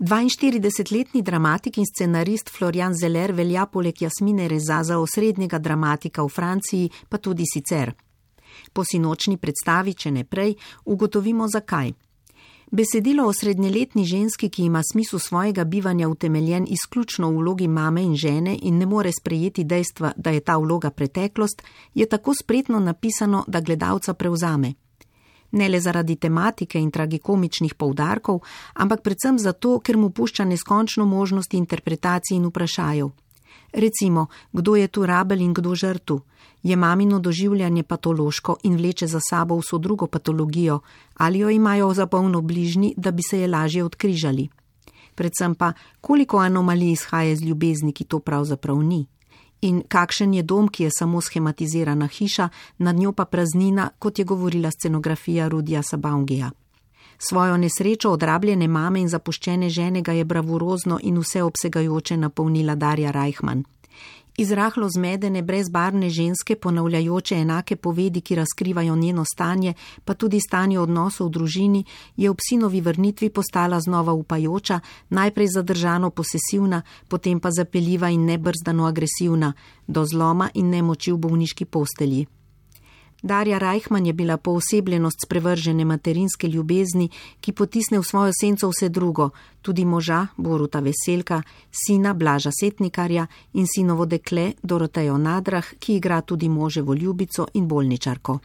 42-letni dramatik in scenarist Florian Zeller velja poleg Jasmine Reza za osrednjega dramatika v Franciji, pa tudi sicer. Po sinočni predstavi, če ne prej, ugotovimo zakaj. Besedilo o srednjeletni ženski, ki ima smisel svojega bivanja utemeljen izključno v vlogi mame in žene in ne more sprejeti dejstva, da je ta vloga preteklost, je tako spretno napisano, da gledalca prevzame. Ne le zaradi tematike in tragikomičnih poudarkov, ampak predvsem zato, ker mu pušča neskončno možnosti interpretacij in vprašajev. Recimo, kdo je tu rabelj in kdo žrtev? Je mamino doživljanje patološko in vleče za sabo vso drugo patologijo, ali jo imajo za polno bližnji, da bi se je lažje odkrižali? Predvsem pa, koliko anomalij izhaja iz ljubezni, ki to pravzaprav ni? In kakšen je dom, ki je samo schematizirana hiša, nad njo pa praznina, kot je govorila scenografija Rudija Sabaungija. Svojo nesrečo odrabljene mame in zapuščene žene ga je bravurozno in vseobsegajoče napolnila Darja Reichmann. Iz rahlo zmedene, brezbarvne ženske, ponavljajoče enake povedi, ki razkrivajo njeno stanje, pa tudi stanje odnosov v družini, je ob sinovi vrnitvi postala znova upajoča, najprej zadržano posesivna, potem pa zapeljiva in nebrzdano agresivna, do zloma in nemoči v bolniški postelji. Darja Reichmann je bila poosebljenost sprevržene materinske ljubezni, ki potisne v svojo senco vse drugo, tudi moža Boruta Veselka, sina Blaža Setnikarja in sinovo dekle Dorotejo Nadrah, ki igra tudi moževo ljubico in bolničarko.